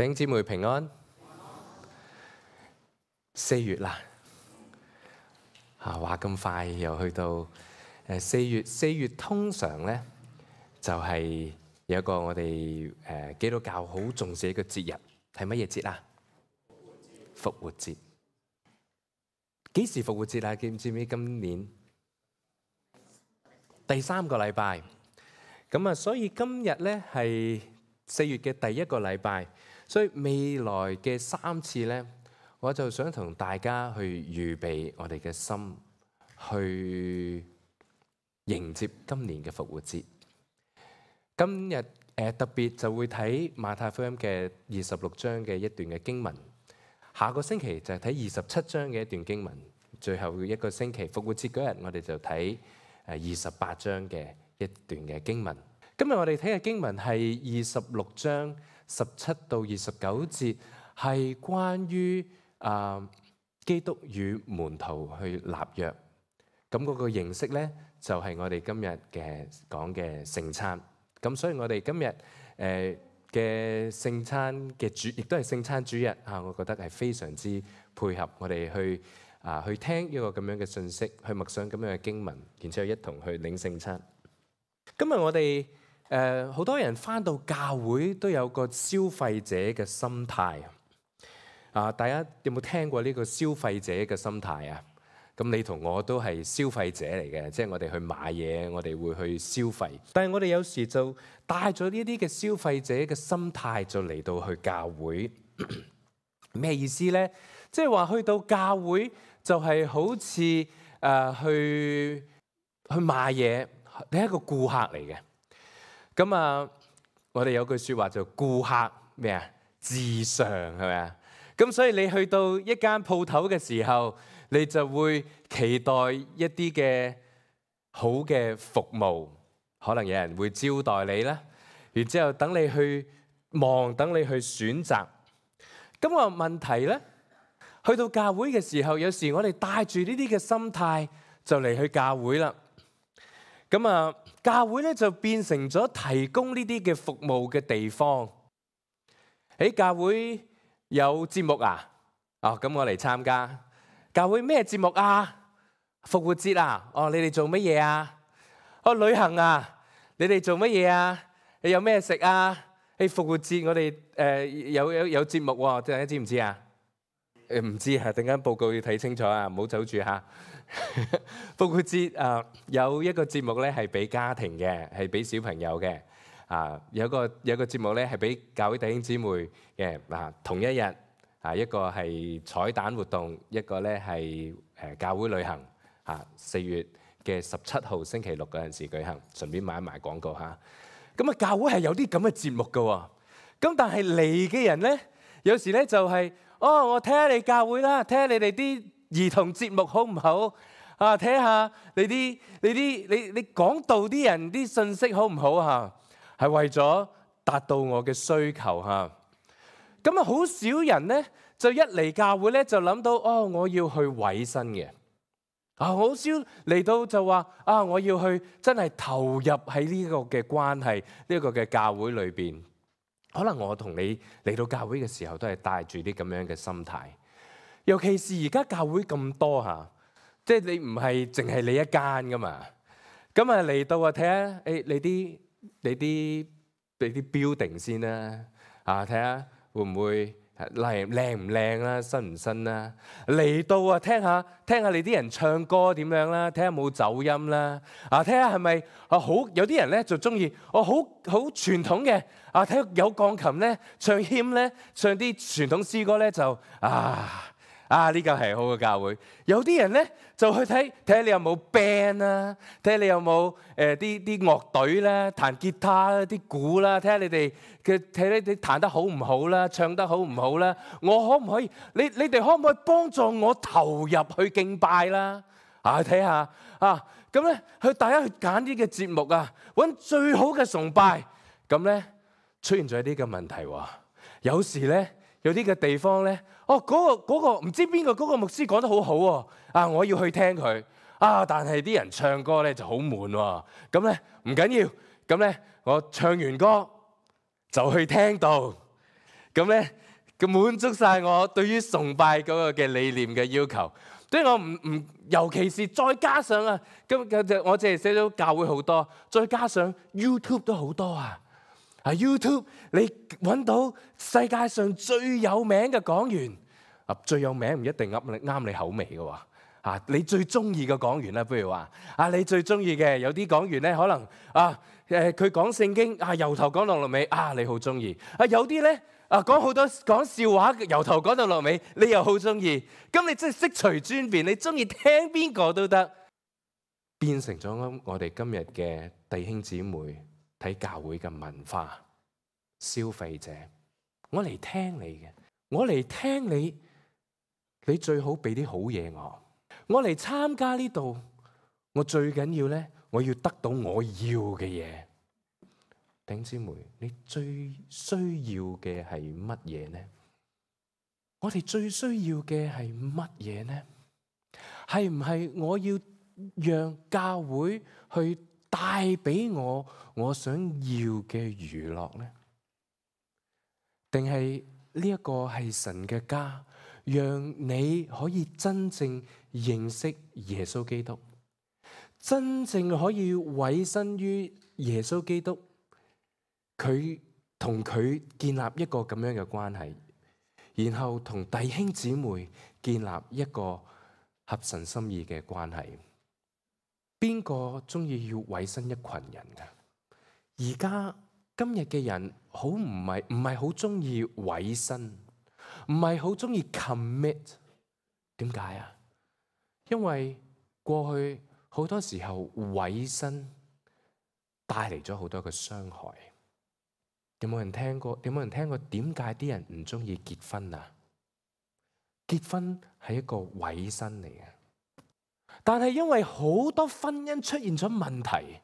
弟兄姊妹平安。4月啦，話咁快又去到4月。4月通常咧就係有一個我哋基督教好重視一個節日，係乜嘢節啊？復活節。幾時復活節啊？記唔記得今年第3個禮拜？咁啊，所以今日咧係4月嘅第1個禮拜，所以未來嘅3次咧，我就想同大家去預備我哋嘅心，去迎接今年嘅復活節。今日特別就會睇馬太福音嘅26章嘅一段嘅經文，下個星期就係睇27章嘅一段經文，最後一個星期復活節嗰日我哋就睇28章嘅一段嘅經文。今日我哋睇嘅經文係26章17到29節，係關於基督與門徒去立約。咁嗰個形式咧就係我哋今日嘅講嘅聖餐。咁所以我哋今日嘅聖餐嘅主，亦都係聖餐主日啊！我覺得係非常之配合我哋去聽一個咁樣嘅信息，去默想咁樣嘅經文，然之後一同去領聖餐。今日我哋好多人返到教會都有個消費者嘅心態啊！大家有冇聽過呢個消費者嘅心態啊？咁你同我都係消費者嚟嘅，即係我哋去買嘢，我哋會去消費。但係我哋有時就帶咗呢啲嘅消費者嘅心態，就嚟到去教會。咩意思呢？即係話去到教會就係好似去買嘢，你係一個顧客嚟嘅。咁啊，我哋有句説話就顧客咩啊？至上係咪啊？咁所以你去到一間鋪頭嘅時候，你就會期待一啲嘅好嘅服務，可能有人會招待你啦，然之後等你去望，等你去選擇。咁個問題咧，去到教會嘅時候，有時我哋帶住呢啲嘅心態就嚟去教會啦。咁啊，教會咧就變成咗提供呢啲嘅服務嘅地方。喺教會有節目啊？咁我嚟參加。教會咩節目啊？復活節啊？你哋做乜嘢啊？旅行啊？你哋做乜嘢啊？你有咩食啊？復活節我哋有節目喎，大家知唔知啊？唔知啊，陣間報告要睇清楚啊，唔好走住嚇。復活節有一個節目咧係俾家庭嘅，係俾小朋友嘅。有個節目咧係俾教會弟兄姊妹嘅。同一日。一個係彩蛋活動，一個咧係教會旅行。4月嘅17號星期六嗰陣時舉行，順便買一賣廣告嚇。咁教會係有啲咁嘅節目㗎喎。咁但係嚟嘅人咧，有時咧就係我睇下你教會啦，睇下你哋啲兒童節目好唔好啊？睇下你講道啲人啲信息好唔好嚇？係為咗達到我嘅需求嚇。咁好少人咧，就一嚟教會咧就諗到我要去委身嘅。好少嚟到就話我要去真係投入喺呢個嘅關係，呢個嘅教會裏邊。可能我同你嚟到教會嘅時候都係帶住啲咁樣嘅心態。尤其是而家教會咁多嚇，即係你唔係淨係你一間噶嘛。咁嚟到睇下你啲 building 先啦。睇下。會唔會靚唔靚啦？新唔新啦？嚟到聽下你啲人唱歌點樣啦？睇下冇走音啦？睇下係咪好？有啲人咧就中意好傳統嘅。睇下有鋼琴咧，唱 hymn 咧，唱啲傳統詩歌咧就呢個係好嘅教會。有啲人咧就去睇下你有冇 band 啦，睇下你有冇啲樂隊啦，彈吉他啦，啲鼓啦，睇下你哋彈得好唔好啦，唱得好唔好啦。我可唔可以？你哋可唔可以幫助我投入去敬拜啦？睇下咁咧，大家去揀啲嘅節目揾最好嘅崇拜。咁咧出現咗一啲嘅問題喎。有時咧有啲嘅地方咧，嗰個唔知邊個嗰個牧師講得好好喎。我要去聽佢。但係啲人唱歌咧就好悶喎。咁咧唔緊要，咁咧我唱完歌就去聽道。咁咧佢滿足晒我對於崇拜嗰個嘅理念嘅要求。所以我唔，尤其是再加上啊，我淨係寫咗教會好多，再加上 YouTube 都好多啊。YouTube 你揾到世界上最有名嘅講員，最有名唔一定啱你口味嘅喎。你最中意嘅講員啦，譬如話你最中意嘅有啲講員咧，可能佢講聖經由頭講到落尾你好中意。有啲咧講好多講笑話，由頭講到落尾，你又好中意。咁你真係悉隨尊便，你中意聽邊個都得，變成咗我哋今日嘅弟兄姊妹睇教會嘅文化消費者。我嚟聽你嘅，我嚟聽你，你最好俾啲好嘢我。我嚟參加呢度，我最緊要咧，我要得到我要嘅嘢。弟兄姊妹，你最需要嘅係乜嘢呢？我哋最需要嘅係乜嘢呢？係唔係我要讓教會去帶俾我想要嘅娛樂呢？定係呢一個係神嘅家，讓你可以真正認識耶穌基督，真正可以委身於耶穌基督，佢同佢建立一個咁樣嘅關係，然後同弟兄姊妹建立一個合神心意嘅關係。邊個中意要委身一群人㗎？而家今日嘅人唔係好中意委身，唔係好中意 commit。點解啊？因為過去好多時候委身帶嚟咗好多嘅傷害。有冇人聽過？點解啲人唔中意結婚啊？結婚係一個委身嚟嘅，但係因為好多婚姻出現咗問題，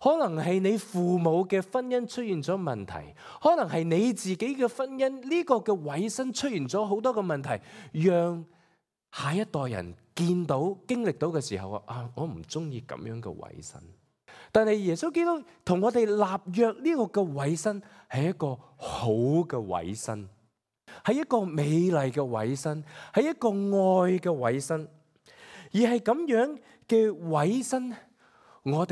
可能係你父母嘅婚姻出現咗問題，可能係你自己嘅婚姻呢個嘅委身出現咗好多嘅問題，讓下一代人見到經歷到嘅時候我唔中意咁樣嘅委身。但係耶穌基督同我哋立約呢個嘅委身係一個好嘅委身，係一個美麗嘅委身，係一個愛嘅委身。而係咁樣嘅委身，我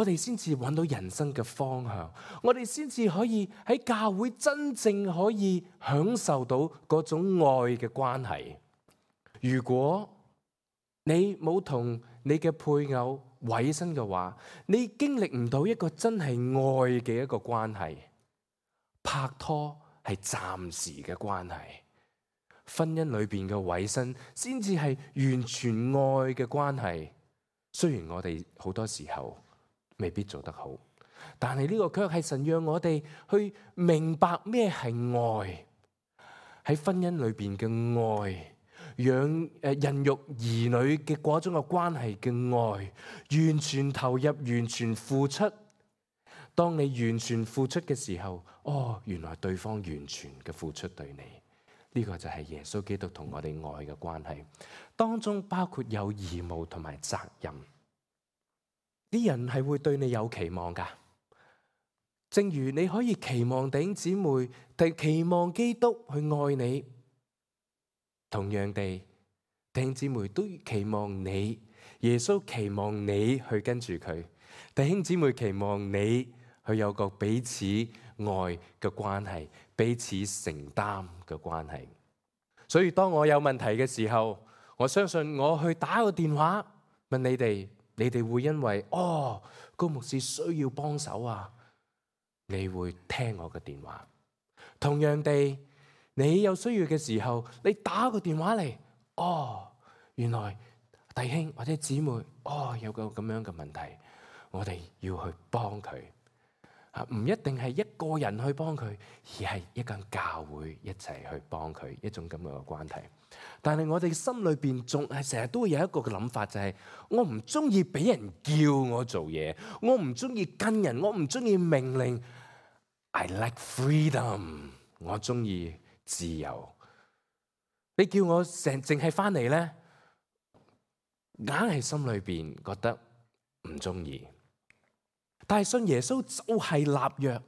哋先至揾到人生嘅方向，我哋先至可以喺教會真正可以享受到嗰種愛嘅關係。如果你冇同你嘅配偶委身嘅話，你經歷唔到一個真係愛嘅一個關係。拍拖係暫時嘅關係，婚姻裏邊嘅委身先至係完全愛嘅關係。雖然我哋好多時候未必做得好，但係呢個卻係神讓我哋去明白咩係愛。喺婚姻裏邊嘅愛，養孕育兒女嘅嗰種嘅關係嘅愛，完全投入，完全付出。當你完全付出嘅時候，原來對方完全嘅付出對你，呢個就係耶穌基督同我哋愛嘅關係，當中包括有義務同埋責任。啲人係會對你有期望噶，正如你可以期望弟兄姊妹，期望基督去愛你，同樣地，弟兄姊妹都期望你，耶穌期望你去跟住佢，弟兄姊妹期望你去有個彼此愛嘅關係，彼此承擔嘅關係。所以當我有問題嘅時候，我相信我去打個電話問你哋，你哋會因為高牧師需要幫手啊，你會聽我嘅電話。同樣地，你有需要嘅時候，你打個電話嚟，原來弟兄或者姊妹有個咁樣嘅問題，我哋要去幫佢。唔一定係一個人去幫佢，而係一間教會一齊去幫佢，一種咁樣嘅關係。但係我哋心裏邊仲係成日都會有一個嘅諗法，就係我唔中意俾人叫我做嘢，我唔中意跟人，我唔中意命令。I like freedom， 我中意自由。你叫我淨係翻嚟咧，硬係心裏邊覺得唔中意。但係信耶穌就係立約，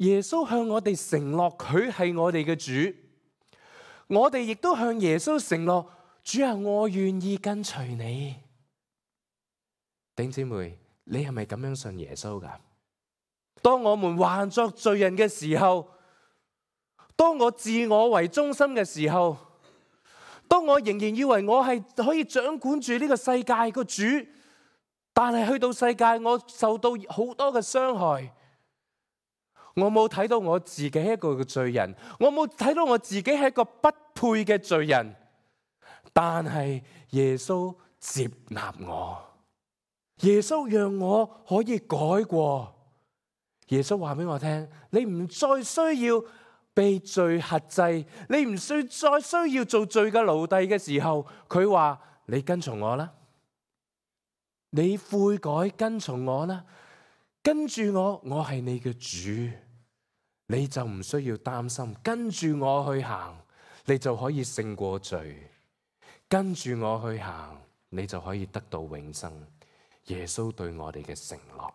耶穌向我哋承諾佢係我哋嘅主，我哋亦都向耶穌承諾，主啊，我願意跟隨你。弟兄姊妹，你係咪咁樣信耶穌噶？當我們還作罪人嘅時候，當我自我為中心嘅時候，當我仍然以為我係可以掌管住呢個世界個主，但係去到世界我受到好多嘅傷害，我冇睇到我自己係一個嘅罪人，我冇睇到我自己係一個不配嘅罪人，但係耶穌接納我，耶穌讓我可以改過。耶穌話俾我聽，你唔再需要被罪轄制，你唔再需要做罪嘅奴隸嘅時候，佢話你跟從我啦，你悔改跟從我啦，跟住我，我係你嘅主，你就唔需要擔心，跟住我去行，你就可以勝過罪，跟住我去行，你就可以得到永生。耶穌對我哋嘅承諾。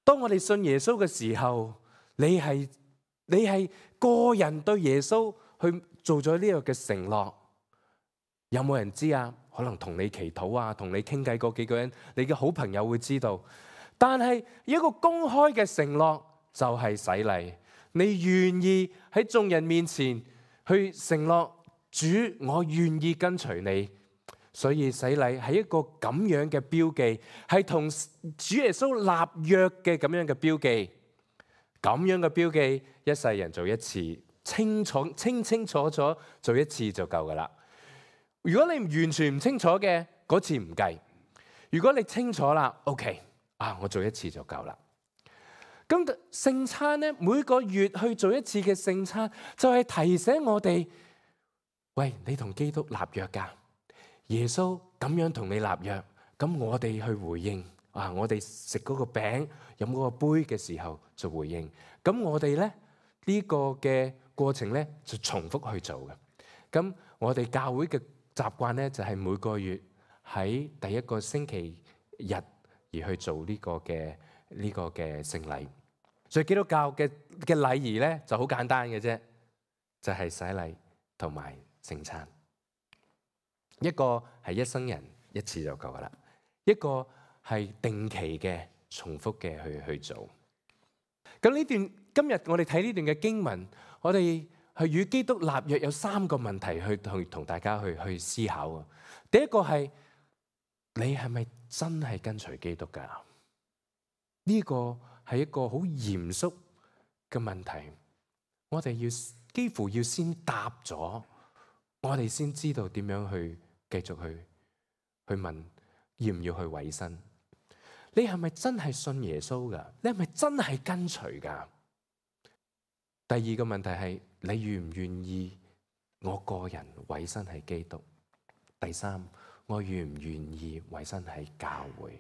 當我哋信耶穌嘅時候，你係個人對耶穌去做咗呢個嘅承諾。有冇人知啊？可能同你祈禱啊，同你傾偈嗰幾個人，你嘅好朋友會知道。但係一個公開嘅承諾就係洗禮。你願意喺眾人面前去承諾，主，我願意跟隨你。所以洗禮係一個咁樣嘅標記，係同主耶穌立約嘅咁樣嘅標記。咁樣嘅標記，一世人做一次，清清楚楚做一次就夠噶啦。如果你完全唔清楚嘅，嗰次唔計。如果你清楚啦 ，OK， 我做一次就夠啦。咁聖餐咧，每個月去做一次嘅聖餐，就係提醒我哋，喂，你同基督立約噶。耶穌咁樣同你立約，咁我哋去回應我哋食嗰個餅、飲嗰個杯嘅時候就回應。咁我哋咧呢個嘅過程咧就重複去做嘅。咁我哋教會嘅習慣咧就係每個月喺第一個星期日而去做呢個嘅聖禮。所以基督教嘅禮儀咧就好簡單嘅啫，就係洗禮同埋聖餐。一個係一生人一次就夠噶啦，一個係定期嘅重複嘅去做。咁呢段今日我哋睇呢段嘅經文，我哋係與基督立約有3個問題去同大家去思考啊。第一個係你係咪真係跟隨基督噶？呢個係一個好嚴肅嘅問題，我哋幾乎要先答咗，我哋先知道點樣去繼續去問要唔要去委身。你係咪真係信耶穌噶？你係咪真係跟隨噶？第二個問題係你願唔願意我個人委身喺基督？第三，我願唔願意委身喺教會？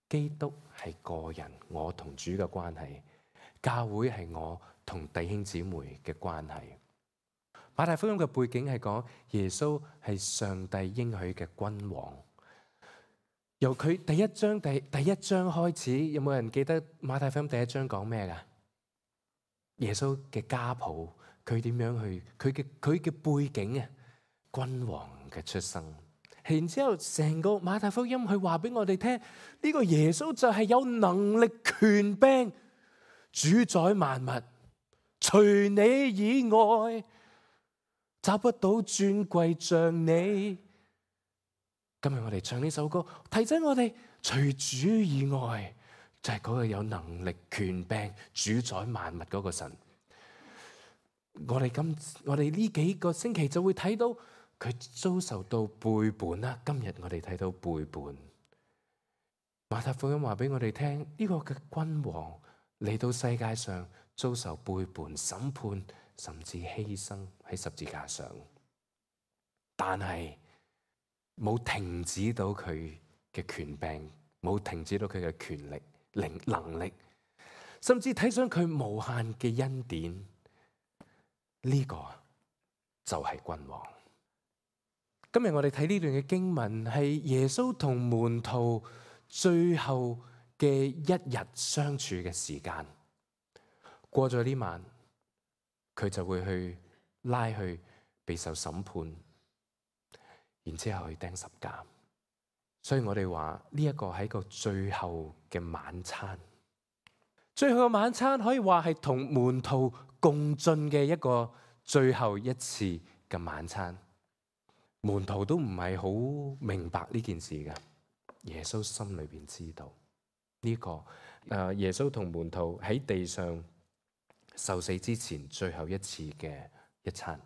基督係個人，我同主嘅關係；教會係我同弟兄姊妹嘅關係。馬太福音嘅背景係講耶穌係上帝應許嘅君王。由佢第一章開始，有冇人記得馬太福音第一章講咩噶？耶穌嘅家譜，佢點樣去佢嘅背景啊？君王嘅出生。然之後成個馬太福音佢話俾我哋聽，呢個耶穌就係有能力權柄主宰萬物，除你以外找不到尊貴像你。今日我哋唱呢首歌，提醒我哋，除主以外就係嗰個有能力權柄主宰萬物嗰個神。我哋呢幾個星期就會睇到佢遭受到背叛啦。今日我哋睇到背叛。馬太福音話俾我哋聽，呢個嘅君王嚟到世界上遭受背叛、審判，甚至犧牲喺十字架上，但係冇停止到佢嘅權柄，冇停止到佢嘅權力、能力，甚至睇上佢無限嘅恩典。呢個就係君王。今日我哋睇呢段嘅經文，係耶穌同門徒最後嘅一日相處嘅時間。過咗呢晚，佢就會去拉去備受審判，然之後去釘十架。所以我哋話呢一個係一個最後嘅晚餐。最後嘅晚餐可以話係同門徒共進嘅一個最後一次嘅晚餐。門徒都唔係好明白呢件事㗎，耶穌心裏邊知道呢個耶穌同門徒喺地上受死之前最後一次嘅一餐，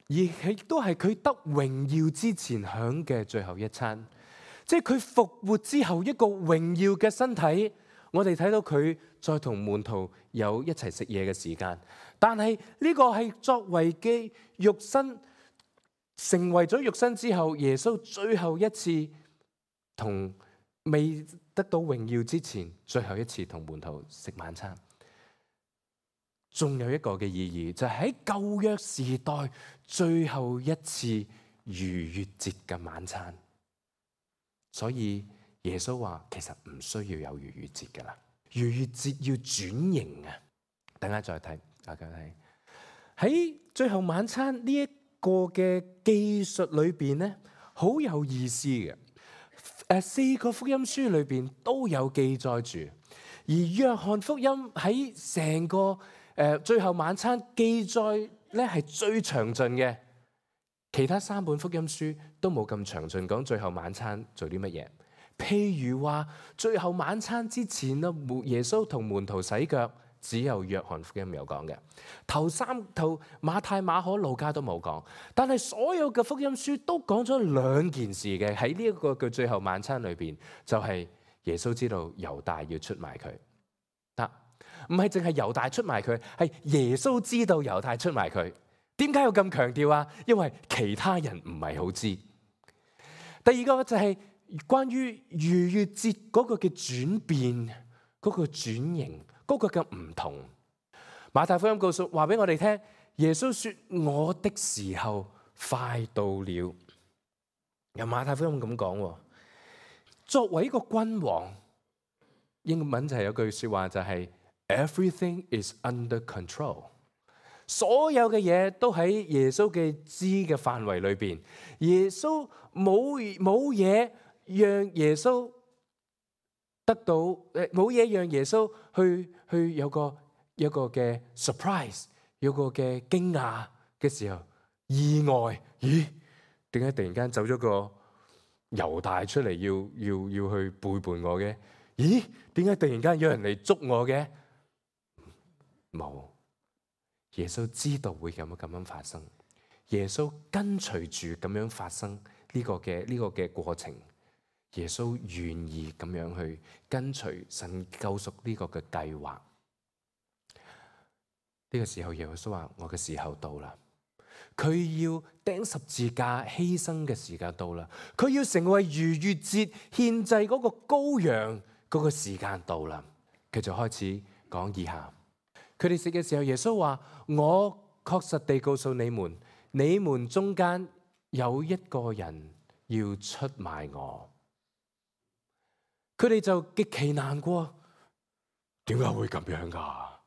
而亦都係佢得榮耀之前享嘅最後一餐，即係佢復活之後一個榮耀嘅身體。我哋睇到佢再同門徒有一齊食嘢嘅時間，但係呢個係作為嘅肉身，成為咗肉身之後，耶穌最後一次同未得到榮耀之前最後一次同門徒食晚餐。仲有一個嘅意義，就係喺舊約時代最後一次逾越節嘅晚餐。所以耶穌話其實唔需要有逾越節噶啦，逾越節要轉型啊！等下再睇，大家睇喺最後晚餐呢一個嘅記述裏邊咧，好有意思嘅。4個福音書裏邊都有記載住，而約翰福音喺成個最後晚餐記載咧係最詳盡嘅，其他3本福音書都冇咁詳盡講最後晚餐做啲乜嘢。譬如話最後晚餐之前啦，耶穌同門徒洗腳，只有約翰福音有講嘅。頭馬太、馬可、路加都冇講，但係所有嘅福音書都講咗2件事嘅。喺呢一個嘅最後晚餐裏邊，就係耶穌知道猶大要出賣佢。唔係淨係猶大出賣佢，係耶穌知道猶大出賣佢。點解要咁強調啊？因為其他人唔係好知。第二個就係關於逾越節嗰個嘅轉變，嗰個轉型，嗰個嘅唔同。馬太福音話俾我哋聽，耶穌說我的時候快到了。由馬太福音咁講，作為一個君王，英文就係有句說話就係Everything is under control。所有嘅嘢都喺耶穌嘅知嘅範圍裏邊。耶穌冇嘢讓耶穌得到冇嘢讓耶穌去有個嘅 surprise， 有個嘅驚訝嘅時候，意外，咦？點解突然間走咗個猶大出嚟要去背叛我嘅？咦？點解突然間有人嚟捉我嘅？冇，耶穌知道會咁樣發生，耶穌跟隨住咁樣發生呢個嘅過程，耶穌願意咁樣去跟隨神救贖呢個嘅計劃。呢個時候耶穌話：我嘅時候到啦，佢要釘十字架犧牲嘅時間到啦，佢要成為逾越節獻祭嗰個羔羊嗰個時間到啦。佢就開始講以下。佢哋食嘅時候，耶穌話：我確實地告訴你們，你們中間有一個人要出賣我。佢哋就極其難過，點解會咁樣噶？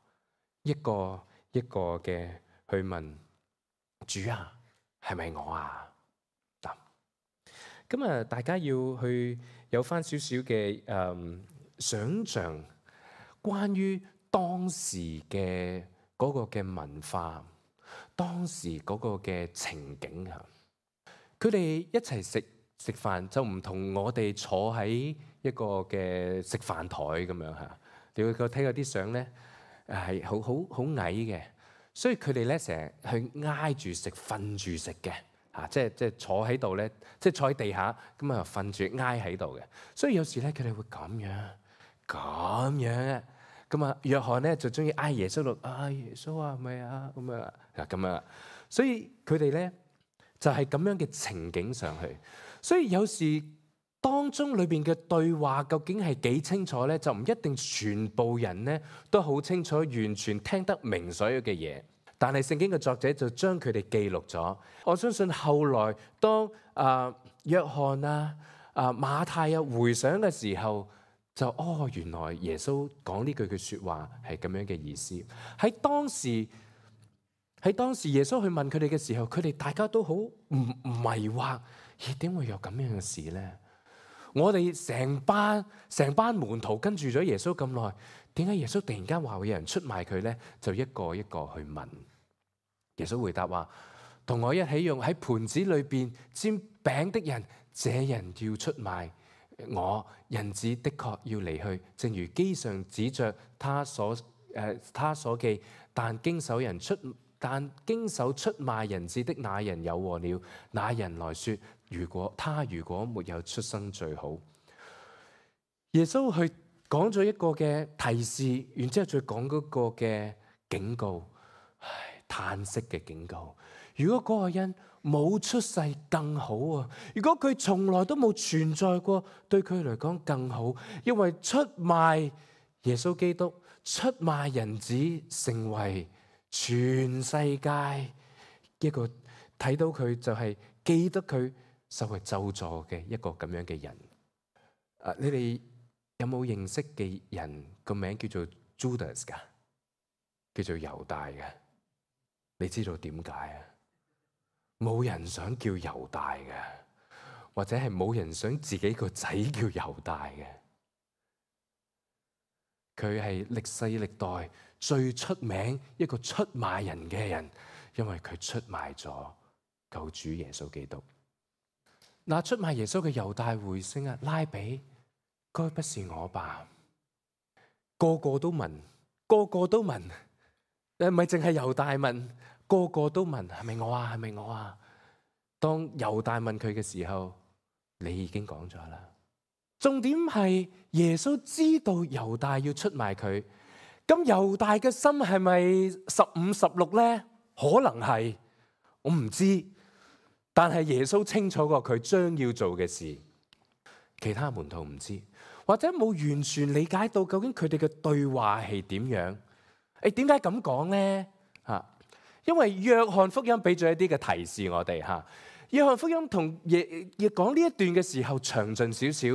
一個一個嘅去問主啊，係咪我啊？嗱，咁啊，大家要去有翻少少嘅想像，關於當時嘅嗰個嘅文化，當時嗰個嘅情景嚇，佢哋一齊食飯就唔同我哋坐喺一個嘅食飯台咁樣嚇。你會睇嗰啲相咧，係好矮嘅，所以佢哋咧成日去挨住食、瞓住食嘅嚇，即係坐喺度咧，即係坐喺地下咁啊，瞓住挨喺度嘅。所以有時咧，佢哋會咁樣啊。咁啊，約翰咧就中意嗌耶穌度，耶穌啊，係咪啊？咁啊，所以佢哋咧就係咁樣嘅情景上去。所以有時當中裏邊嘅對話究竟係幾清楚咧，就唔一定全部人咧都好清楚，完全聽得明所有嘅嘢。但係聖經嘅作者就將佢哋記錄咗。我相信後來當約翰馬太回想嘅時候，就原來耶穌講呢句説話係咁樣嘅意思。喺當時耶穌去問佢哋嘅時候，佢哋大家都好迷惑，點會有咁樣嘅事呢？我哋成班門徒跟住咗耶穌咁耐，點解耶穌突然間話會有人出賣佢呢？就一個一個去問。耶穌回答話：同我一起用喺盤子裏邊沾餅的人，這人要出賣我。人子的確要離去，正如經上指着他所記。但經手出賣人子的那人有禍了。那人來說：如果沒有出生最好。耶穌去講咗一個嘅提示，然之後再講嗰個嘅警告，嘆息嘅警告。如果嗰個人冇出世更好啊！如果佢從來都冇存在過，對佢嚟講更好。因為出賣耶穌基督、出賣人子，成為全世界一個睇到佢就係記得佢受為咒詛嘅一個咁樣嘅人。你哋有冇認識嘅人個名叫做 Judas 噶？叫做猶大嘅？你知道點解啊？冇人想叫猶大嘅，或者係冇人想自己個仔叫猶大嘅。佢係歷世歷代最出名一個出賣人嘅人，因為佢出賣咗救主耶穌基督。嗱，出賣耶穌嘅猶大回聲啊，拉比，該不是我吧？個個都問，個個都問，唔係淨係猶大問，個個都問，係咪我啊？係咪我啊？當猶大問佢嘅時候，你已經講咗啦。重點係耶穌知道猶大要出賣佢，咁猶大嘅心係咪15-16呢？可能係，我唔知。但係耶穌清楚過佢將要做嘅事，其他門徒唔知，或者冇完全理解到究竟佢哋嘅對話係點樣。點解咁講呢？因為約翰福音俾咗一啲嘅提示我哋。約翰福音同亦講呢一段嘅時候詳盡少少，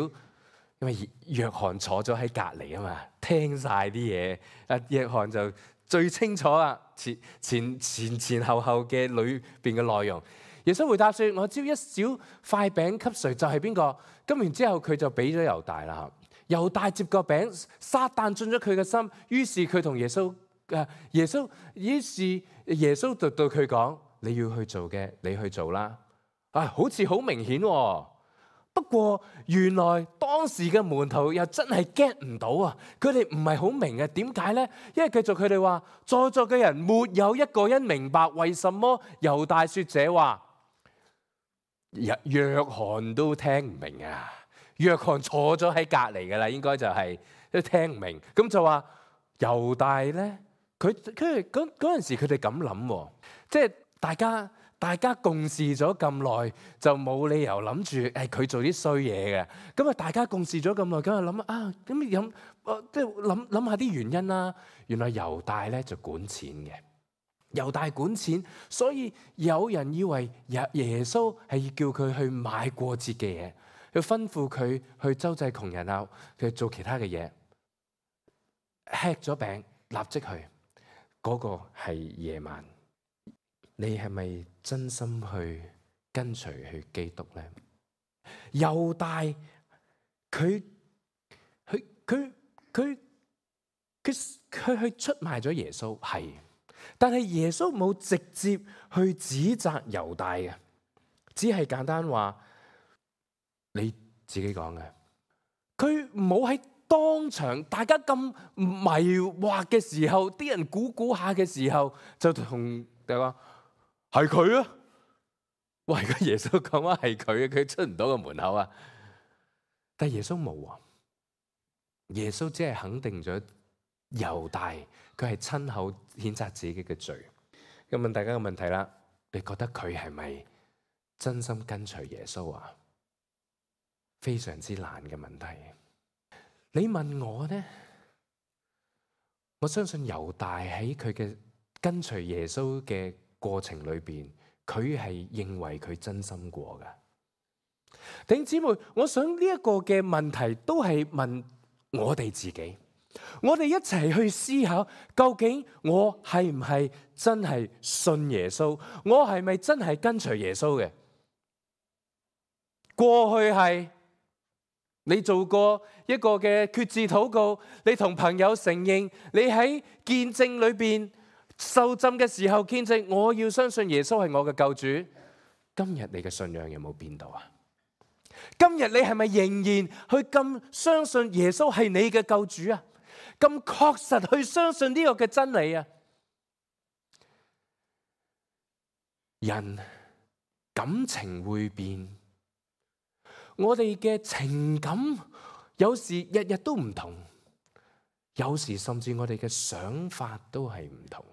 因為約翰坐咗喺隔離啊嘛，聽晒啲嘢。約翰就最清楚啦，前後嘅裏邊嘅內容。耶穌回答說：我招一小塊餅給誰，就係邊個？咁然之後佢就俾咗猶大啦。猶大接個餅，撒旦進咗佢嘅心，於是佢同耶穌就對佢講：你要去做嘅，你去做啦。好似好明顯喎。不過原來當時嘅門徒又真係 get 唔到啊！佢哋唔係好明啊，點解呢？因為繼續佢哋話，在座嘅人沒有一個人明白為什麼猶大說這話。約翰都聽唔明啊！約翰坐咗喺隔離噶啦，應該就係都聽唔明。咁就話猶大咧，佢嗰陣時佢哋咁諗，即係大家共事咗咁耐，就冇理由諗住佢做啲衰嘢嘅。咁啊，大家共事咗咁耐，咁啊諗咁即係諗下啲原因啦。原來猶大咧就管錢嘅。猶大管錢，所以有人以為耶穌係叫佢去買過節嘅嘢，去吩咐佢去周濟窮人啊，去做其他嘅嘢。吃咗餅，立即去。嗰個係夜晚。你係咪真心去跟隨去基督呢？猶大佢去出賣咗耶穌，係。但係耶穌冇直接去指責猶大嘅，只係簡單話你自己講嘅。佢冇喺當場大家咁迷惑嘅時候，啲人估下嘅時候，就同大家話係佢啊！喂，個耶穌講話係佢出唔到個門口啊！但係耶穌冇啊，耶穌只係肯定咗猶大，佢係親口譴責自己嘅罪。咁問大家個問題啦，你覺得佢係咪真心跟隨耶穌啊？非常之難嘅問題。你問我呢？我相信猶大喺佢嘅跟隨耶穌嘅過程裏邊，佢係認為佢真心過㗎。弟兄姊妹，我想呢一個嘅問題都係問我哋自己，我哋一齊去思考，究竟我係唔係真係信耶穌？我係咪真係跟隨耶穌嘅？過去係你做過一個嘅決志禱告，你同朋友承認，你喺見證裏邊受浸嘅時候見證，我要相信耶穌係我嘅救主。今日你嘅信仰有冇變到啊？今日你係咪仍然去咁相信耶穌係你嘅救主啊？咁確實去相信呢個嘅真理啊？人感情會變，我哋嘅情感有時日日都唔同，有時甚至我哋嘅想法都係唔同。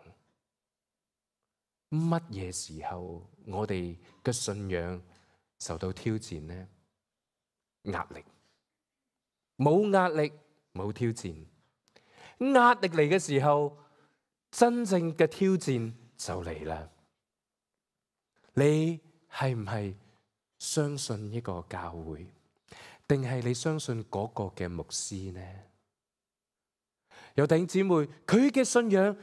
乜嘢時候我哋嘅信仰受到挑戰呢？壓力，冇壓力冇挑戰。壓力嚟嘅時候，真正嘅挑戰就嚟啦。你係唔係相信一個教會，定係你相信嗰個嘅牧師呢？有弟兄姊妹，佢嘅信仰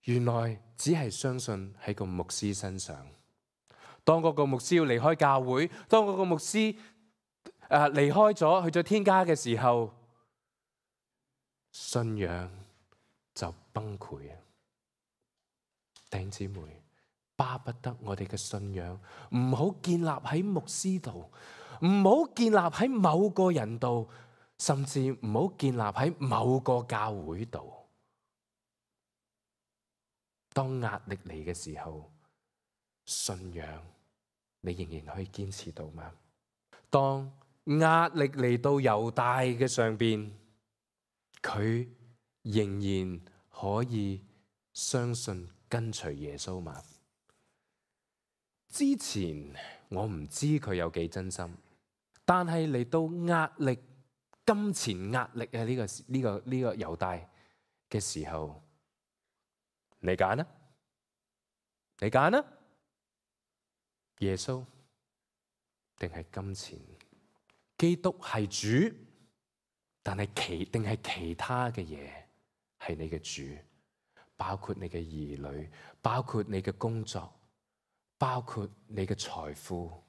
原來只係相信喺個牧師身上。當嗰個牧師要離開教會，當嗰個牧師離開咗去咗天家嘅時候，信仰就崩潰啊！弟兄姊妹，巴不得我哋嘅信仰唔好建立喺牧師度，唔好建立喺某個人度，甚至唔好建立喺某個教會度。當壓力嚟嘅時候，信仰你仍然可以堅持到嗎？當壓力嚟到猶大嘅上邊，佢仍然可以相信跟隨耶穌嗎？之前我唔知佢有幾真心，但係嚟到壓力、金錢壓力啊呢個猶大嘅時候，你揀啦，你揀啦，耶穌定係金錢？基督係主，但係其他嘅嘢係你嘅主，包括你嘅兒女，包括你嘅工作，包括你嘅財富。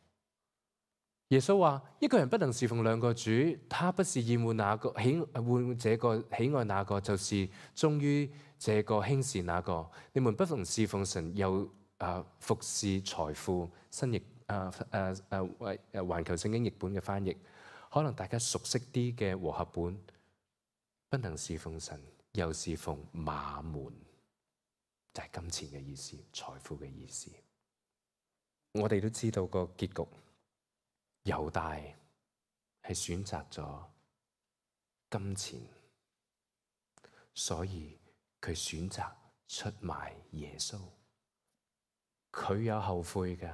耶穌話：一個人不能侍奉兩個主，他不是厭惡那個喜愛那個，就是忠於這個輕視那個。你們不能侍奉神，又服侍財富。新譯環球聖經譯本嘅翻譯，可能大家熟悉啲嘅和合本，不能侍奉神，又侍奉馬門，就係金錢嘅意思，財富嘅意思。我哋都知道個結局，猶大係選擇咗金錢，所以佢選擇出賣耶穌。佢有後悔嘅，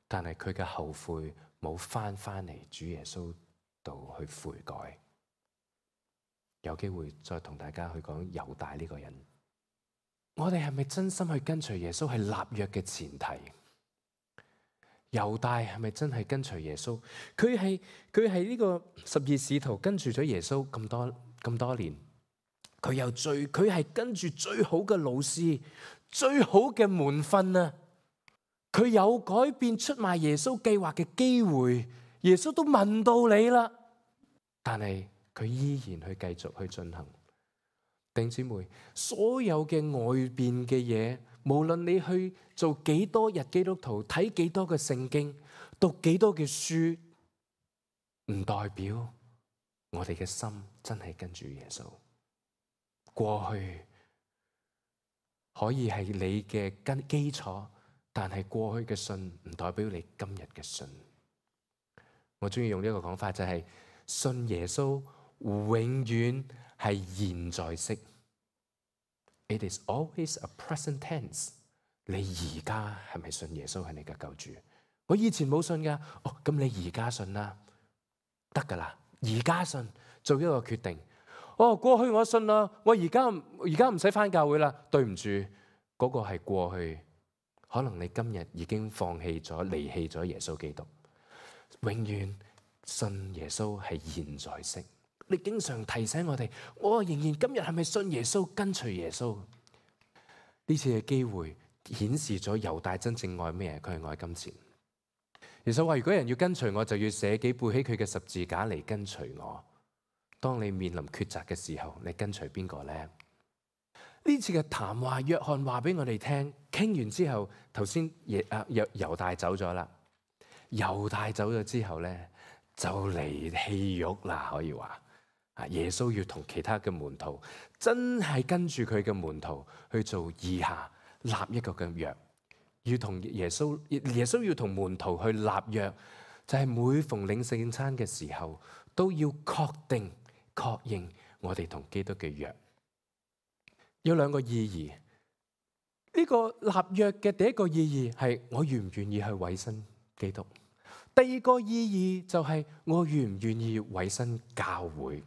但係佢嘅後悔冇翻嚟主耶穌度去悔改。有機會再同大家去講猶大呢個人。我哋係咪真心去跟隨耶穌係立約嘅前提？猶大係咪真係跟隨耶穌？佢係呢個12使徒跟住咗耶穌咁多年，佢係跟住最好嘅老師、最好嘅門訓啊！佢有改變出賣耶穌計劃嘅機會，耶穌都問到你啦，但係佢依然去繼續去進行。弟兄姊妹，所有嘅外邊嘅嘢，無論你去做幾多日基督徒，睇幾多嘅聖經，讀幾多嘅書，唔代表我哋嘅心真係跟住耶穌。過去可以係你嘅基礎，但係過去嘅信唔代表你今日嘅信。我中意用呢個講法，就係信耶穌永遠係現在式。It is always a present tense。你而家係咪信耶穌係你嘅救主？我以前冇信噶，咁你而家信啦，得噶啦，而家信，做一個決定。過去我信啦，我而家唔使返教會啦。對唔住，嗰個係過去，可能你今日已經放棄咗、離棄咗耶穌基督。永遠信耶穌係現在式。你經常提醒我哋，我仍然今日係咪信耶穌，跟隨耶穌？呢次嘅機會顯示咗猶大真正愛咩？佢係愛金錢。耶穌話：如果人要跟隨我，就要捨己，背起佢嘅十字架嚟跟隨我。當你面臨抉擇嘅時候，你跟隨邊個呢？呢次嘅談話，約翰話俾我哋聽，傾完之後，頭先猶大走咗啦。猶大走咗之後呢，就嚟戲肉啦，可以話。耶穌要同其他嘅門徒真係跟住佢嘅門徒去做以下立一個嘅約，要同耶穌要同門徒去立約，就係每逢領聖餐嘅時候都要確定確認我哋同基督嘅約。有兩個意義，呢個立約嘅第一個意義係我願唔願意去委身基督，第二個意義就係我願唔願意委身教會。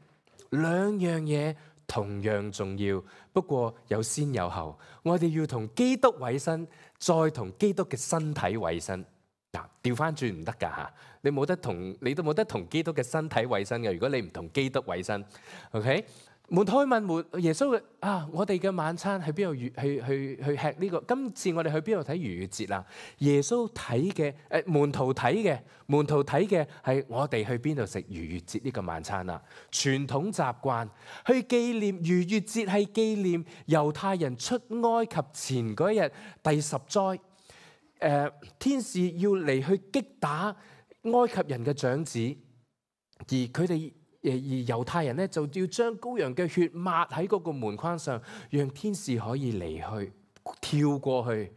兩樣嘢同樣重要，不過有先有後。我哋要同基督委身，再同基督嘅身體委身。嗱，調翻轉唔得噶吓，你都冇得同基督嘅身體委身嘅。如果你唔同基督委身 ，OK？ 門徒去問耶穌我哋嘅晚餐喺邊度去吃呢個？今次我哋去邊度睇逾越節啊？耶穌睇嘅門徒睇嘅係我哋去邊度食逾越節呢個晚餐啊？傳統習慣去紀念逾越節，係紀念猶太人出埃及前嗰日第10災，天使要嚟去擊打埃及人嘅長子，而猶太人咧就要將羔羊嘅血抹喺嗰個門框上，讓天使可以離去，跳過去，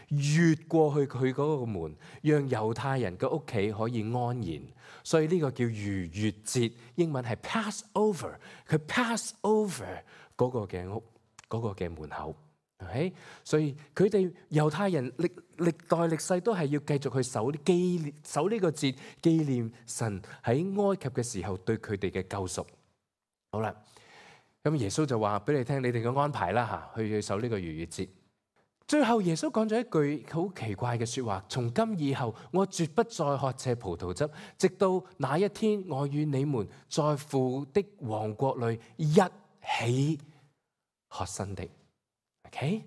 越過去佢嗰個門，讓猶太人嘅屋企可以安然。所以呢個叫逾越節，英文係 Passover， 佢 pass over 嗰個嘅屋，嗰個嘅門口。Okay? 所以佢哋猶太人歷代歷世都係要繼續去守呢個節，紀念神喺埃及嘅時候對佢哋嘅救贖。好啦，咁耶穌就話俾你聽，你哋嘅安排啦吓，去守呢個逾越節。最後耶穌講咗一句好奇怪嘅說話：從今以後，我絕不再喝這葡萄汁，直到那一天，我與你們在父的王國裏一起喝新的。OK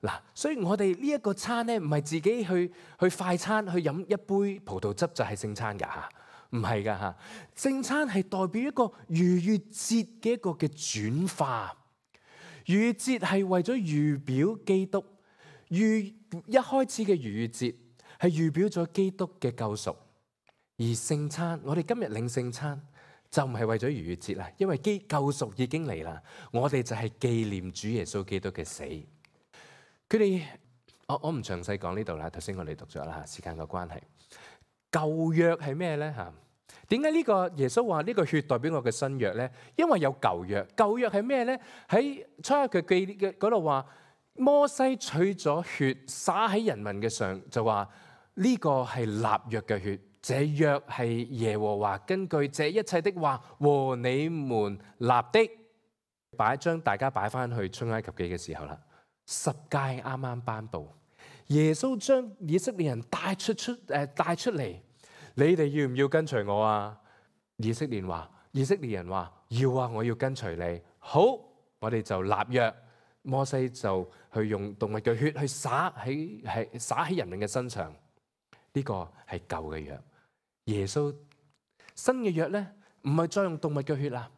嗱，所以我哋呢一個餐咧，唔係自己去快餐去飲一杯葡萄汁就係聖餐噶吓，唔係噶吓。聖餐係代表一個逾越節嘅一個嘅轉化。逾越節係為咗預表基督，一開始嘅逾越節係預表咗基督嘅救贖，而聖餐我哋今日領聖餐就唔係為咗逾越節啦，因為救贖已經嚟啦，我哋就係紀念主耶穌基督嘅死。佢哋我唔詳細講呢度啦，頭先我哋讀咗啦，時間嘅關係。舊約係咩咧吓？點解呢個耶穌話呢個血代表我嘅新約咧？因為有舊約，舊約係咩咧？喺出埃及記嘅嗰度話，摩西取咗血灑喺人民嘅上，就話呢個係立約嘅血。這約係耶和華根據這一切的話和你們立的。將大家擺翻去出埃及記嘅時候啦，10誡啱啱頒布，耶穌將以色列人帶出嚟，你哋要唔要跟隨我啊？以色列人話要啊，我要跟隨你。好，我哋就立約，摩西就去用動物嘅血去灑喺人民嘅身上，呢個係舊嘅約。耶穌新嘅約咧，唔係再用動物嘅血啦，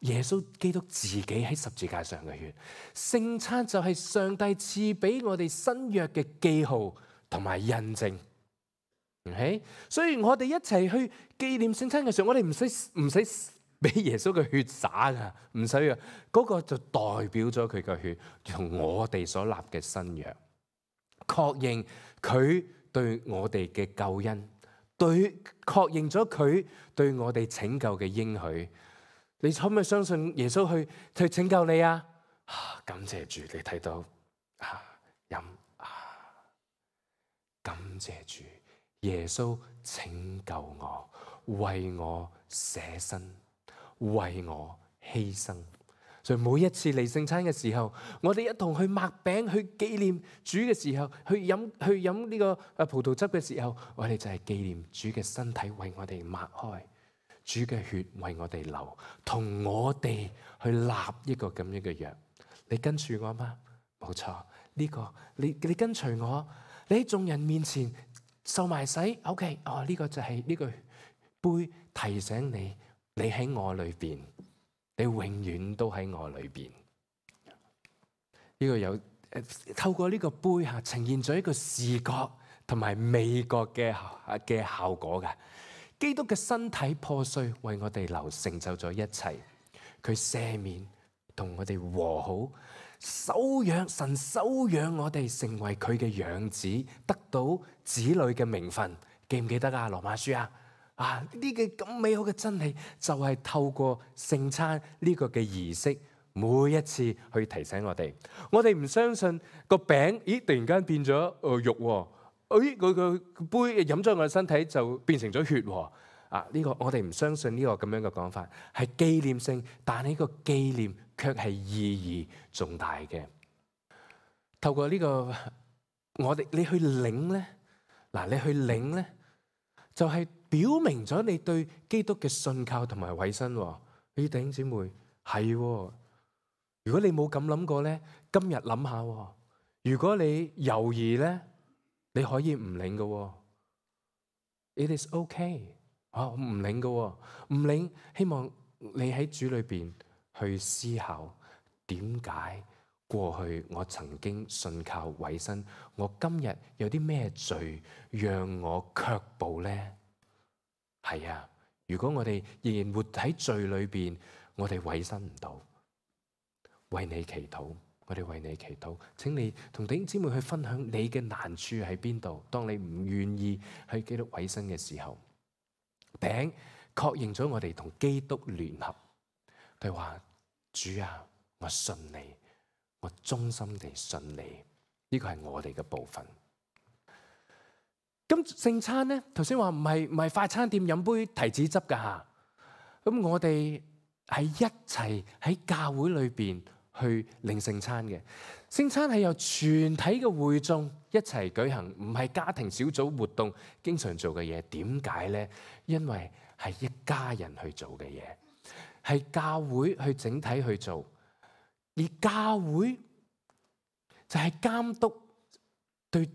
耶穌基督自己喺十字架上嘅血。聖餐就係上帝賜俾我哋新約嘅記號同埋印證。Okay? 所以我哋一齊去紀念聖餐嘅時候，我哋唔使俾耶穌嘅血灑噶，唔使啊，嗰個就代表咗佢嘅血同我哋所立嘅新約，確認佢對我哋嘅救恩。確認咗佢對我哋拯救嘅應許，你可唔可以相信耶穌去拯救你啊？感謝主，你睇到感謝主，耶穌拯救我，為我捨身，為我犧牲。所以每一次嚟聖餐嘅時候，我哋一同去擘餅去紀念主嘅時候，去飲呢個葡萄汁嘅時候，我哋就係紀念主嘅身體為我哋擘開，主嘅血為我哋流，同我哋去立一個咁樣嘅約。你跟住我嗎？冇錯，呢個你跟隨我，你喺眾人面前受埋洗。OK， 呢個就係呢個杯提醒你，你喺我裏邊，你永遠都喺我裏邊。呢個有透過呢個杯呈現咗一個視覺同埋味覺嘅效果嘅。基督嘅身體破碎，為我哋流，成就咗一切。佢赦免，同我哋和好，神收養我哋成為佢嘅養子，得到子女嘅名分。記唔記得啊？羅馬書呢個咁美好嘅真理，就係透過聖餐呢個嘅儀式，每一次去提醒我哋。我哋唔相信個餅，突然間變咗肉。佢個杯飲咗我嘅身體就變成咗血喎。呢個我哋唔相信呢個咁樣嘅講法，係紀念性，但係呢個紀念卻係意義重大嘅。透過呢個你去領咧，你去領咧，就係表明咗你對基督嘅信靠同埋委身。弟兄姊妹，係，如果你冇咁諗過咧，今日諗下。如果你猶豫咧，你可以唔領嘅。It is okay。唔領嘅，唔領。希望你喺主裏邊去思考，點解過去我曾經信靠委身，我今日有啲咩罪讓我卻步呢？係啊，如果我哋仍然活喺罪裏邊，我哋委身唔到。為你祈禱，我哋為你祈禱。請你同弟兄姊妹去分享你嘅難處喺邊度。當你唔願意去基督委身嘅時候，餅確認咗我哋同基督聯合。佢話：主啊，我信你，我忠心地信你。呢個係我哋嘅部分。咁聖餐咧，頭先話唔係快餐店飲杯提子汁噶吓。咁我哋係一齊喺教會裏邊去領聖餐嘅。聖餐係由全體嘅會眾一齊舉行，唔係家庭小組活動經常做嘅嘢。點解咧？因為係一家人去做嘅嘢，係教會去整體去做，而教會就係監督對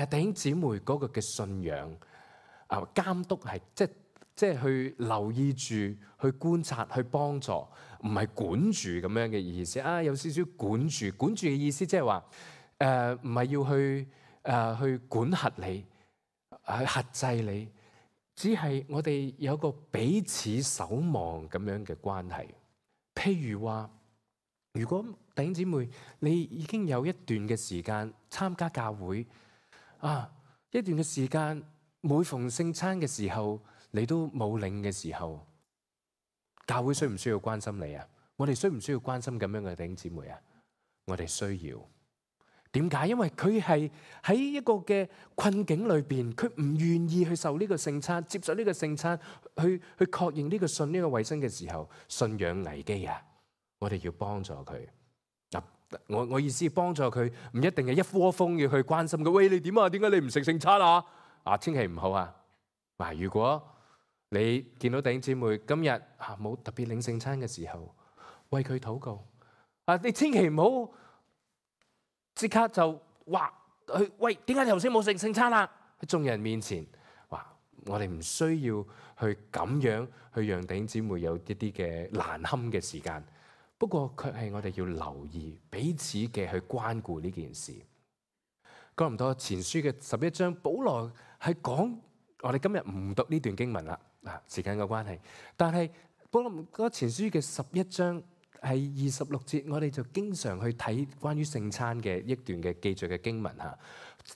弟兄姊妹嗰個嘅信仰。監督係即係去留意住、去觀察、去幫助，唔係管住咁樣嘅意思。有少少管住嘅意思，即係話唔係要去管轄你、去轄制你，只係我哋有個彼此守望咁樣嘅關係。譬如話，如果弟兄姊妹你已經有一段嘅時間參加教會，一段嘅時間每逢聖餐嘅時候，你都冇領嘅時候，教會需唔需要關心你啊？我哋需唔需要關心咁樣嘅弟兄姊妹啊？我哋需要。點解？因為佢係喺一個嘅困境裏邊，佢唔願意去受呢個聖餐，接受呢個聖餐，去確認呢個信呢個委身嘅時候，信仰危機啊！我哋要幫助佢。我意思幫助佢，唔一定係一窩蜂要去關心佢。喂，你點啊？點解你唔食聖餐啊？千祈唔好啊！如果你見到弟兄姊妹今日冇特別領聖餐嘅時候，為佢禱告。你千祈唔好即刻就話去喂，點解你頭先冇食聖餐啊？喺眾人面前，我哋唔需要去咁樣去讓弟兄姊妹有一啲嘅難堪嘅時間。不過卻係我哋要留意彼此嘅去關顧呢件事。哥林多前書嘅11章，保羅係講，我哋今日唔讀呢段經文啦，時間嘅關係。但係保羅嗰前書嘅11章係26節，我哋就經常去睇關於聖餐嘅一段嘅記載嘅經文嚇。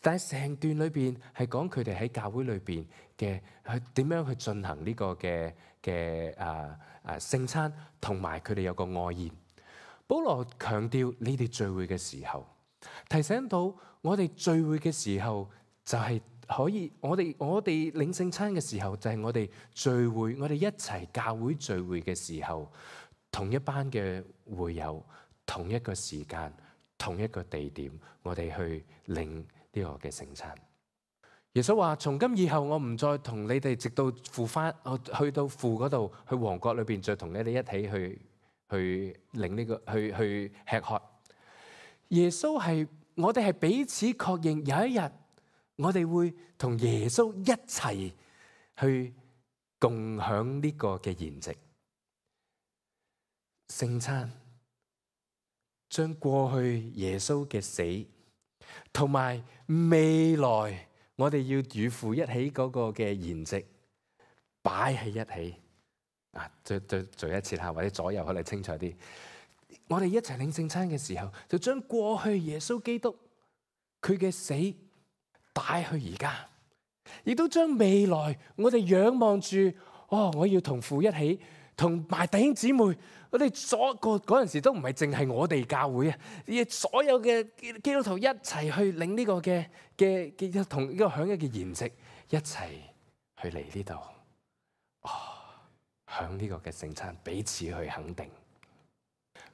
但係成段裏邊係講佢哋喺教會裏邊嘅去點樣去進行呢個嘅聖餐，同埋佢哋有個愛宴。保羅強調你哋聚會嘅時候，提醒到我哋聚會嘅時候就係可以，我哋領聖餐嘅時候就係我哋聚會，我哋一齊教會聚會嘅時候，同一班嘅會友，同一個時間，同一個地點，我哋去領呢個嘅聖餐。耶穌話：從今以後，我唔再同你哋直到父翻，我去到父嗰度，去王國裏邊再同你哋一起去領呢個去吃喝。耶穌係我哋係彼此確認，有一日我哋會同耶穌一齊去共享呢個嘅筵席。聖餐將過去耶穌嘅死同埋未來我哋要與父一起嗰個嘅筵席擺喺一起啊！再一次下，或者左右可能清楚啲。我哋一齊領聖餐嘅時候，就將過去耶穌基督佢嘅死帶去而家，亦都將未來我哋仰望住我要同父一起，同埋弟兄姊妹，我哋嗰陣時都唔係淨係我哋教會啊，而所有嘅基督徒一齊去領呢個嘅同呢個享嘅筵席，一齊去嚟呢度，享呢個嘅聖餐，彼此去肯定，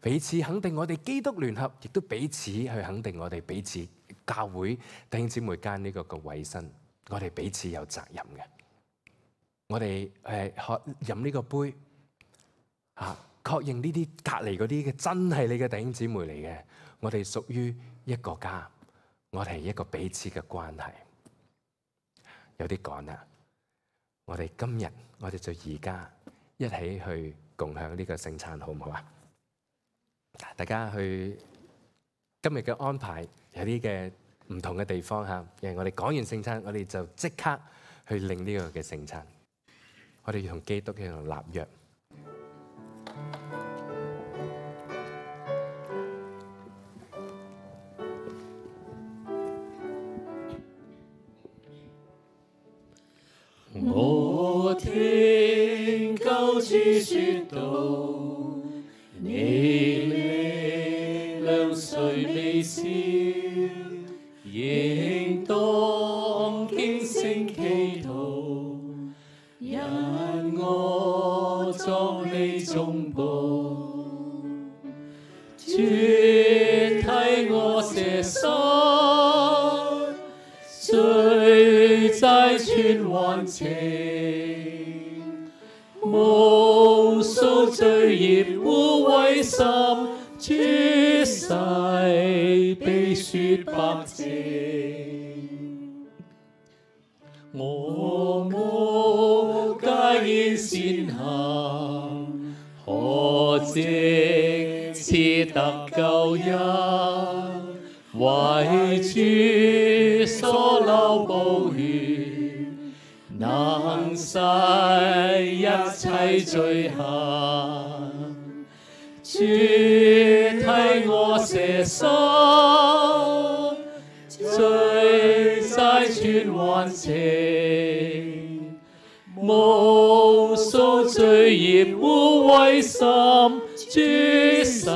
彼此肯定我哋基督聯合，亦都彼此去肯定我哋彼此教會弟兄姊妹間呢個嘅委身，我哋彼此有責任嘅。我哋飲呢個杯確認呢啲隔離嗰啲嘅真係你嘅弟兄姊妹嚟嘅，我哋屬於一個家，我哋係一個彼此嘅關係。有啲趕啦，我哋今日我哋就而家一起去共享呢個聖餐，好唔好啊？大家去今日嘅安排有啲嘅唔同嘅地方嚇，因為我哋講完聖餐，我哋就即刻去領呢個嘅聖餐。我哋要同基督一樣立約。我聽救主説道，你力量誰未消，應當警醒祈禱，因我作你中保，主替我捨身，罪債全還清，無數罪孽污穢心，主洗比雪白淨。我無介意善行，可藉此得救恩，為主所流寶血，能洗一切罪行。主替我捨身，罪債全還清，無數罪孽污穢心，主洗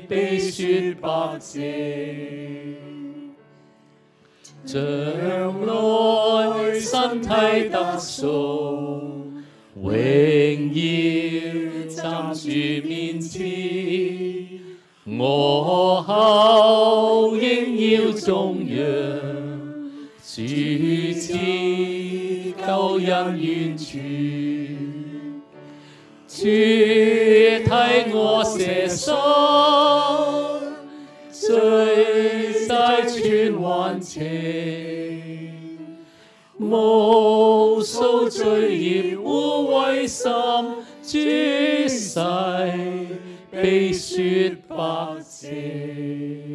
比雪白淨。將來身體得贖，榮耀站主面前，我後應要頌揚，主賜救恩完全，主替我捨身，罪債全還清，無數罪孽污穢心，主洗比雪白淨。